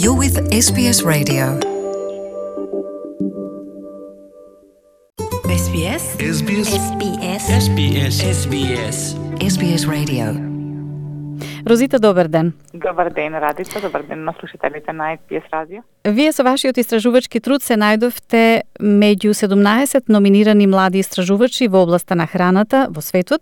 You're with SBS Radio. SBS SBS SBS SBS SBS SBS Radio. Розита, добар ден. Добар ден, Радица. Добар ден на слушателите на SBS радио. Вие со вашиот истражувачки труд се најдовте меѓу 17 номинирани млади истражувачи во областа на храната во светот,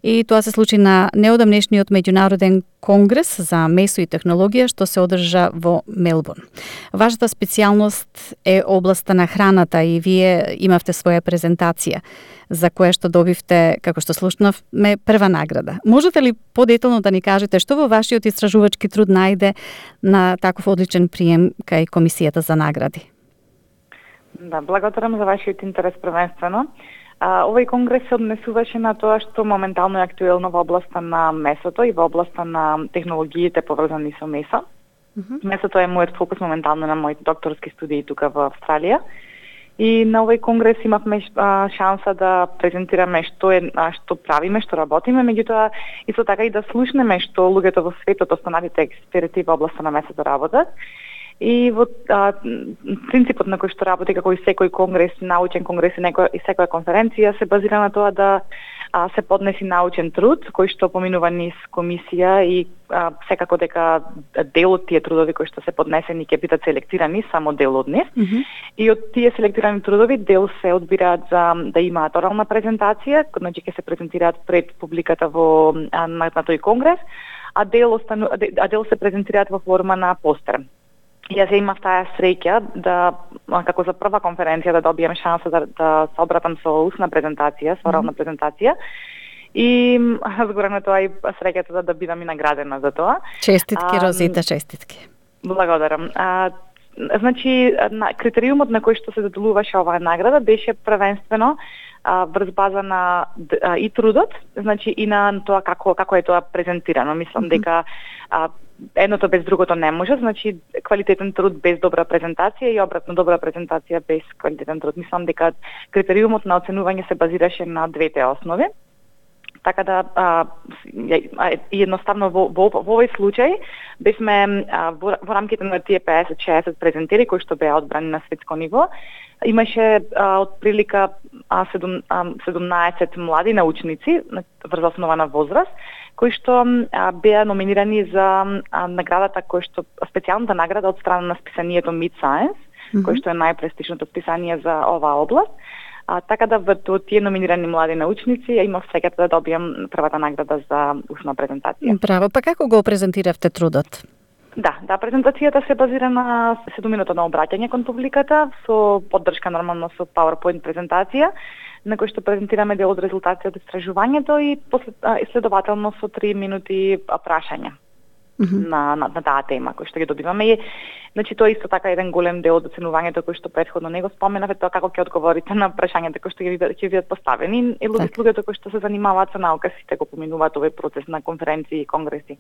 и тоа се случи на неодамнешниот меѓународен конгрес за месо и технологија што се одржа во Мелбурн. Вашата специјалност е областа на храната и вие имавте своја презентација за која што добивте, како што слушнавме, прва награда. Можете ли подетално да ни кажете што во вашиот истражувачки труд најде на таков одличен прием кај Комисијата за награди? Да, благодарам за вашиот интерес првенствено. Овој конгрес се однесуваше на тоа што моментално е актуелно во областа на месото и во областа на технологиите поврзани со месо. Месото е мојот фокус моментално на моите докторски студии тука во Австралија. И на овој конгрес имавме шанса да презентираме што правиме, што работиме, меѓутоа исто така и да слушнеме што луѓето во светот, останалите експерти во областа на месото работат. И во принципот на кој што работи како и секој конгрес, научен конгрес и секоја конференција се базира на тоа да се поднеси научен труд кој што поминува низ комисија и секако дека дел од тие трудови кои што се поднесени ќе бидат селектирани, само дел од нив. И од тие селектирани трудови дел се одбираат за да имаат орална презентација, значи ќе се презентираат пред публиката на тој конгрес, а дел се презентираат во форма на постер. Јас имав таа среќа да, како за прва конференција, да добием шанса да се обратам со устна презентација, со орална презентација. И згорем на тоа и среќата да бидам и наградена за тоа. Честитки, Розита, честитки. Благодарам. Значи, критериумот на кој што се доделуваше оваа награда беше првенствено врз база на и трудот, значи и на тоа како е тоа презентирано. Мислам дека едното без другото не може, значи квалитетен труд без добра презентација и обратно добра презентација без квалитетен труд. Мислам дека критериумот на оценување се базираше на двете основи. Така да едноставно во овој случај бевме во рамките на тие 50-60 презентери кои што беа одбрани на светско ниво. Имаше отприлика 17 млади научници врз основа на возраст кои што беа номинирани за наградата специјалната награда од страна на списанието Mid Science, кој што е најпрестижното списание за оваа област. Така да во тие номинирани млади научници имав среќата да добијам првата награда за устна презентација. Браво, па како го презентиравте трудот? Да, презентацијата се базира на 7-минутно обраќање кон публиката со поддршка нормално со PowerPoint презентација, на кој што презентираме дел од резултати од истражувањето и следователно со 3 минути прашања на таа тема кој што ги добиваме. И значи тоа исто така еден голем дел од оценувањето кој што претходно не го споменав, тоа како ќе одговорите на прашањата кои што ќе бидат поставени. И луѓето кои што се занимаваат со наука сите го поминуваат овој процес на конференции и конгреси,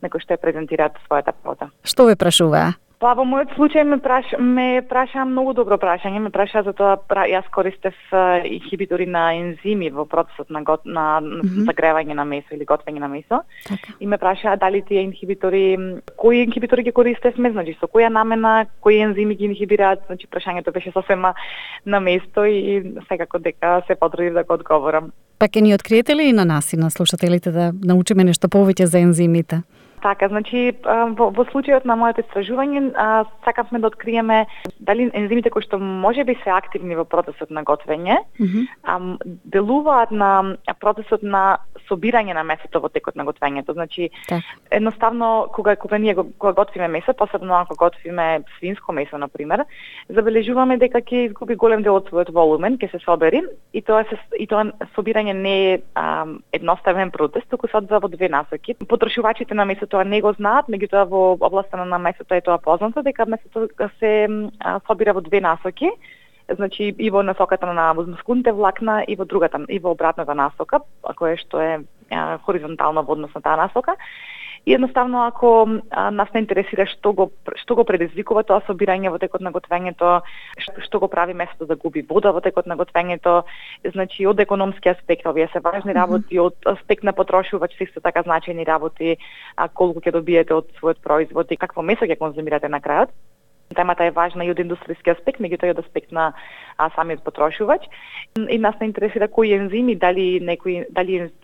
на кои што ја презентираат својата работа. Што ве прашуваа? Па во мојот случај ме праша многу добро прашање, ме праша за тоа јас користев инхибитори на ензими во процесот на загревање на месо или готвење на месо. И ме праша дали тие инхибитори, кои инхибитори ги користевме, значи со која намена, кои ензими ги инхибираат, значи прашањето беше сосема на место и секако дека се потрудив да го одговорам. Па ќе ни откриете ли и на нас и на слушателите да научиме нешто повеќе за ензимите? Така, значи во случајот на моето истражување сакавме да откриеме дали ензимите кои што можеби се активни во процесот на готвење делуваат на процесот на собирање на месото во текот на готвењето. Значи едноставно кога ние готвиме месо, посебно ако готвиме свинско месо на пример, забележуваме дека ќе изгуби голем дел од својот волумен, ќе се собери и тоа собирање не е едноставен процес, туку се одвива во две насоки. Потрошувачите на месо тоа не го знаат, меѓутоа во областа на месото е тоа познато дека месото се собира во две насоки, значи и во насоката на мускулните влакна и во обратната насока, која што е хоризонтално во однос на таа насока. И едноставно ако нас не интересира што го предизвикува тоа собирање во текот на готвењето, што го прави место да губи вода во текот на готвењето, значи од економски аспект овие се важни работи, од аспект на потрошувач се исто така значајни работи, колку ќе добиете од својот производ и какво месо ќе конзумирате на крајот. Темата е важна и од индустријски аспект, меѓутоа и од аспект на самиот потрошувач. И нас не интересира кои ензими, дали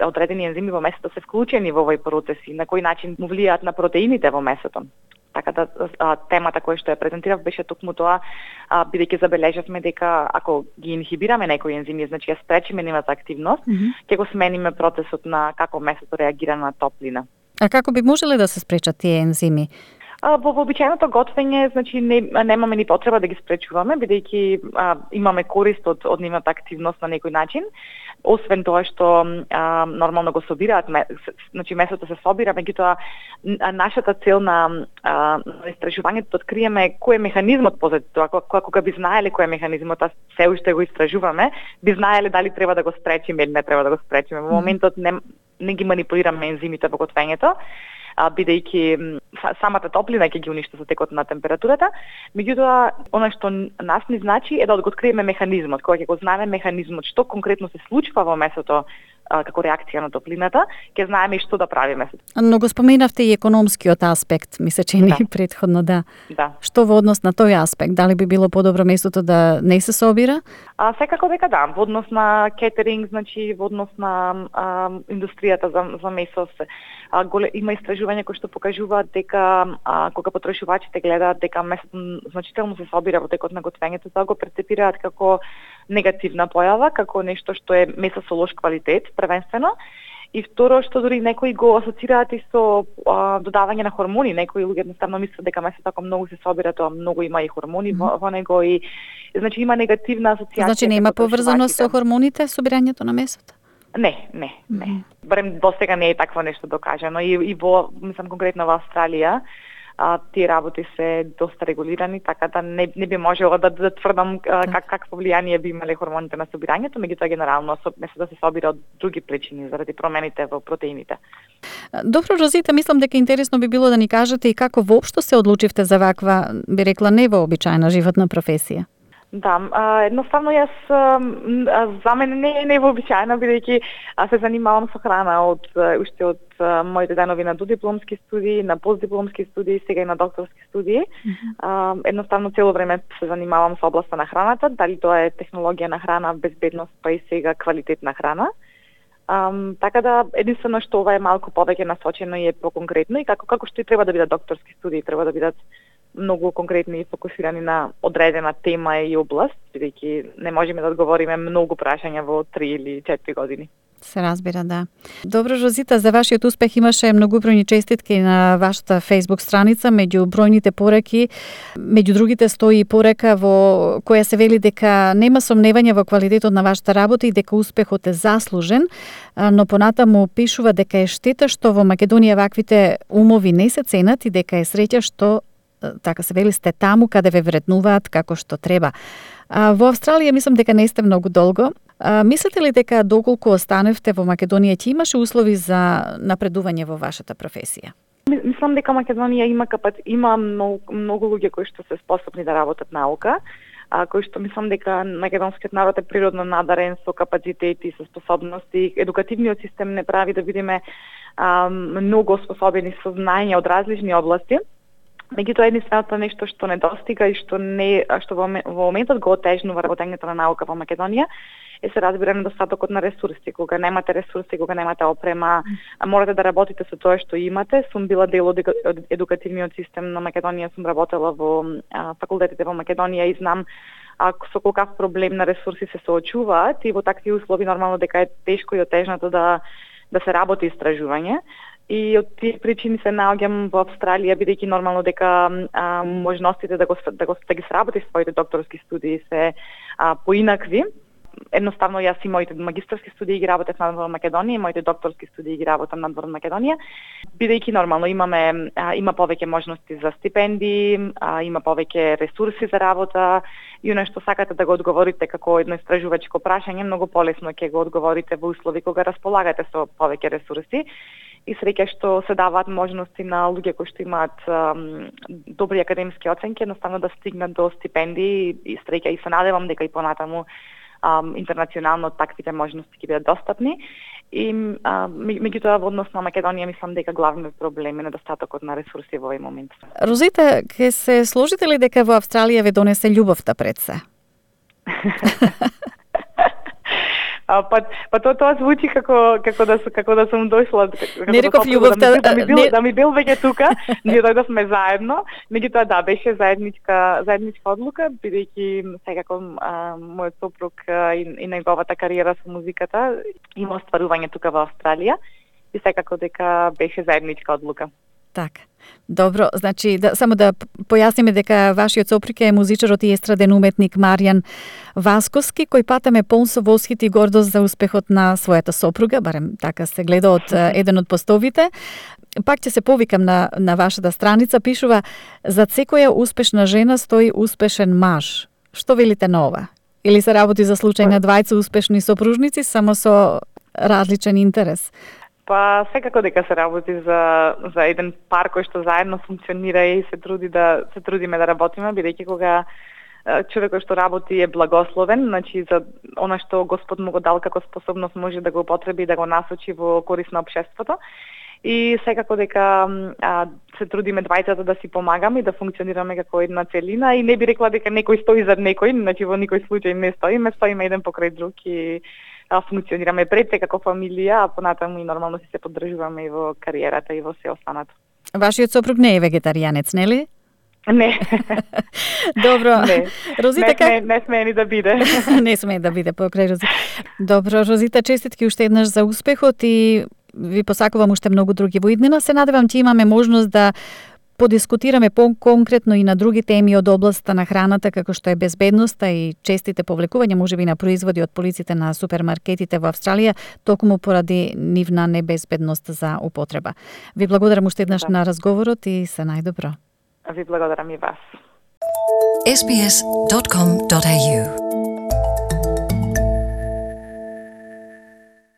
одредени ензими во месото се вклучени во овој процес и на кој начин му влијаат на протеините во месото. Така да темата која што ја презентирав беше токму тоа, бидејќи забележавме дека ако ги инхибираме некои ензими, значи ја спречиме нивната активност, ќе го смениме процесот на како месото реагира на топлина. А како би можеле да се спречат тие ензими? Во вообичаеното готвење, значи немаме ни потреба да ги спречуваме, бидејќи имаме корист од нивната активност на некој начин. Освен тоа што нормално го собираат, значи месото се собира, меѓутоа нашата цел на истражувањето да откриеме кој е механизмот позади тоа, кога би знаеле кој е механизмот, а се уште го истражуваме, би знаеле дали треба да го спречиме или не треба да го спречиме. Во моментот не ги манипулираме ензимите во готвењето, бидејќи самата топлина ќе ги уништи со текот на температурата, меѓутоа она што нас ни значи е да го откриеме механизмот, кога ќе го знаеме механизмот, што конкретно се случува во месото како реакција на топлината, ќе знаеме и што да правиме. Но го споменавте и економскиот аспект, ми се чини претходно, да. Што во однос на тој аспект, дали би било подобро местото да не се собира? Секако дека да, во однос на кетеринг, значи во однос на индустријата за месо, има истражувања кои што покажуваат дека кога потрошувачите гледаат дека месото значително се собира во текот на готвењето, тоа го перцепираат како негативна појава, како нешто што е месо со лош квалитет, првенствено. И второ, што дори некои го асоцираат и со додавање на хормони. Некои луѓе едноставно мислат дека месото ако многу се собира, тоа многу има и хормони во него и значи има негативна асоциација. Значи нема поврзано со хормоните собирањето на месото? Не. Барем досега не е такво нешто докажано и во, мислам конкретно во Австралија, тие работи се доста регулирани, така да не би можело да тврдам какво влијание би имале хормоните на собирањето, меѓутоа генерално месото се собира од други причини, заради промените во протеините. Добро, Розита, мислам дека интересно би било да ни кажете и како воопшто се одлучивте за ваква, би рекла, невообичаена животна професија. Да, едноставно јас за мене не е невообичаено, бидејќи се занимавам со храна уште од моите денови на додипломски студии, на постдипломски студии, сега и на докторски студии. Едноставно цело време се занимавам со областа на храната, дали тоа е технологија на храна, безбедност, па и сега квалитет на храна. Така да единствено што ова е малку повеќе насочено и е поконкретно и како што и треба да бидат докторски студии, треба да бидат многу конкретни и фокусирани на одредена тема и област, бидејќи не можеме да одговориме многу прашања во 3 или 4 години. Се разбира, да. Добро, Розита, за вашиот успех имаше многубројни честитки на вашата Facebook страница, меѓу бројните пораки, меѓу другите стои и порека во која се вели дека нема сомневање во квалитетот на вашата работа и дека успехот е заслужен, но понатаму пишува дека е штета што во Македонија ваквите умови не се ценат и дека е среќа што така се вели сте таму каде ве вреднуваат како што треба. Во Австралија мислам дека не сте многу долго. Мислите ли дека доколку останевте во Македонија ќе имаше услови за напредување во вашата професија? Мислам дека Македонија има многу луѓе кои што се способни да работат наука, кои што мислам дека македонскиот народ е природно надарен со капацитети, со способности. Едукативниот систем не прави да видиме многу способени со знаења од различни области. Меѓутоа единственото нешто што недостига и што во моментот го отежнува работењето на наука во Македонија е се разбира недостатокот на ресурси. Кога немате ресурси, кога немате опрема, морате да работите со тоа што имате. Сум била дел од едукативниот систем на Македонија, сум работела во факултетите во Македонија и знам со колкав проблем на ресурси се соочуваат и во такви услови нормално дека е тешко и отежнато да се работи истражување. И од тие причини се наоѓам во Австралија, бидејќи нормално дека можностите да ги сработи своите докторски студии се поинакви. едноставно јас и моите магистарски студии ги работев надвор Македонија, и моите докторски студии ги работам надвор Македонија, бидејќи нормално има повеќе можности за стипендии, има повеќе ресурси за работа, и оно што сакате да го одговорите како едно истражувачко прашање, многу полесно ќе го одговорите во услови кога располагате со повеќе ресурси. И среќа што се даваат можности на луѓе кои што имаат добри академски оценки, едноставно да стигнат до стипендии, и среќа и се надевам дека и понатаму интернационално таквите можности ќе бидат достапни. И меѓутоа во однос на Македонија мислам дека главниот проблем е недостатокот на ресурси во овој момент. Розита, ќе се сложите ли дека во Австралија ве донесе љубовта пред се? Па тоа звучи како да сум дошла, не реков љубовта, да ми бил веќе тука, ние дојдовме заедно, меѓутоа да, беше заедничка одлука, бидејќи секако мојот сопруг и неговата кариера со музиката има остварување тука во Австралија, и секако дека беше заедничка одлука. Така. Добро, значи само да појасниме дека вашиот сопруг е музичарот и естраден уметник Маријан Васковски, кој патем е полн со восхит и гордост за успехот на својата сопруга, барем така се гледа од еден од постовите. Пак ќе се повикам на вашата страница, пишува: "Зад секоја успешна жена стои успешен маж." Што велите на ова? Или се работи за случај на двајца успешни сопружници, само со различен интерес? Па секако дека се работи за еден пар кој што заедно функционира и се трудиме да работиме, бидејќи кога човекот што работи е благословен, значи за она што Господ му го дал како способност може да го употреби и да го насочи во корист на општеството. И секако дека се трудиме двајцата да си помагаме и да функционираме како една целина, и не би рекла дека некој стои зад некој, значи во никој случај не стоиме еден покрај друг и функционираме пред се како фамилија, а понатаму и нормално се поддржуваме и во кариерата и во се останато. Вашиот сопруг не е вегетаријанец, нели? Не. Добро. Не. Розита, не смее ни да биде. Не смее да биде покрај Розита. Добро, Розита, честитки уште еднаш за успехот и ви посакувам уште многу други во иднина. Се надевам ќе имаме можност да подискутираме по-конкретно и на други теми од областа на храната, како што е безбедноста и честите повлекувања можеби на производи од полиците на супермаркетите во Австралија, токму поради нивна небезбедност за употреба. Ви благодарам уште еднаш на разговорот и се најдобро. Ви благодарам и вас. sbs.com.au